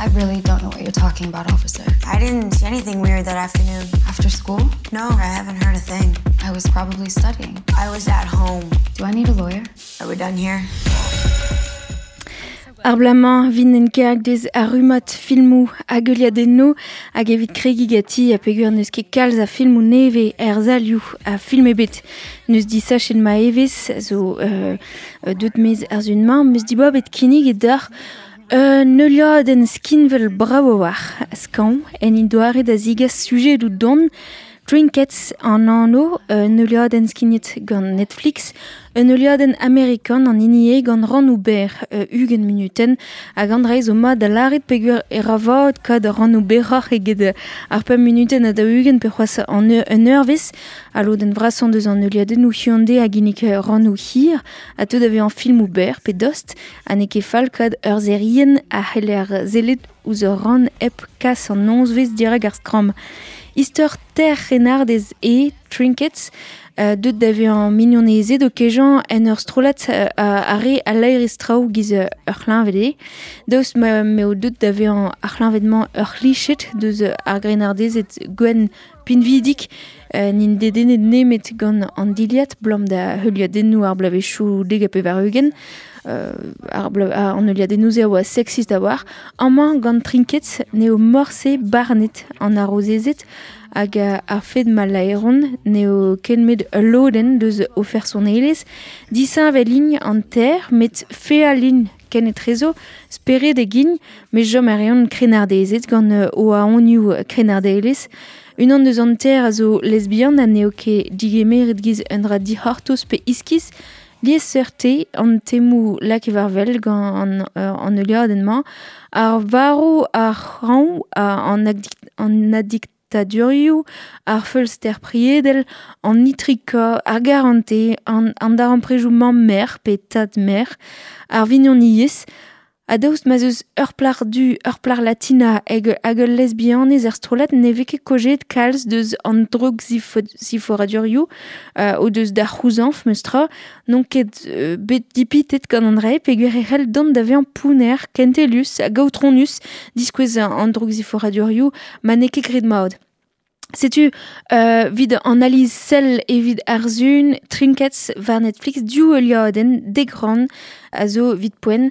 I really don't know what you're talking about, officer. I didn't see anything weird that afternoon. After school? No, I haven't heard a thing. I was probably studying. I was at home. Do I need a lawyer? Are we done here? Ar bloaz-mañ 'vin en karg deus ar rummad filmoù hag heuliadennoù hag evit kregiñ ganti ha peogwir n'eus ket kalz a filmoù nevez er salioù ha film ebet n'eus disachet ma evezh zo deuet maez ar sun-mañ 'm eus dibabet kinniget deoc'h un heuliadenn skinwel brav a-walc'h skañv en he doare da zigas sujedoù don Trinkets an anv, un heuliadenn skignet gant Netflix, un heuliadenn amerikan an hini eo gant rannoù berr 20 munutenn hag an dra zo mat da lâret peogwir e ra vat kad rannoù berroc'h eget ar pemp munutenn ha 40 pe c'hoazh an un eurvezh. Al lodenn vrasañ deus an heuliadennoù hiziv a ginnig rannoù hir ha teu da vezañ filmoù berr pe dost ha n'eo ket fall kad ur serienn a c'heller sellet ouzh ur rann hep kas an nozvezh dirak ar skramm. Istor ter c'hrennardez eo Trinkets, deuet da vezañ mignonezed o kejañ en ur strollad ar re a laerez traoù giz ur c'hleñved eo. Daoust ma m'eo deuet da vezañ ar c'hleñved-mañ ur c'hliched deus ar grennardezed gwenn pinvidik n'int dedennet nemet gant an dilhad 'blam da heuliadennoù ar bloavezhioù 90. An heuliadennoù-se a oa sexist a-walc'h. Amañ gant Trinkets n'eo morse barnet an harozezed hag ar fed ma laeron n'eo ken met ul lodenn deus o fersonelezh. Disheñvel int an ter met feal int kenetrezo, speredek int, met chom a reont krennardezed gant o aonioù krennardelezh. Unan deus an ter a zo lesbian ha n'eo ket digemeret giz un dra dic'hortoz pe iskis. Liesseurt eo an temoù lakaet war-wel gant an heuliadenn-mañ. Ar varv, ar c'hañv, an adiktadurioù, ar feulster priedel, an itrikañ, ar garantez, an darempredoù mamm-merc'h pe tad-merc'h, ar vignoniezh. Ha daoust ma'z eus ur plac'h du, ur plac'h latina hag hag ul lesbianez er strollad ne vez ket kaozeet kalz deus an droukziforadurioù o deus da c'houzañv memes tra. N'on ket bet dipitet gant an dra-se peogwir e c'hell dont da vezañ pounner, kentelus hag aotronus diskouez an droukziforadurioù ma n'eo ket graet mat. Setu evit an ali sell evit ar sun Trinkets war Netflix div heuliadenn dek rann a zo evit poent.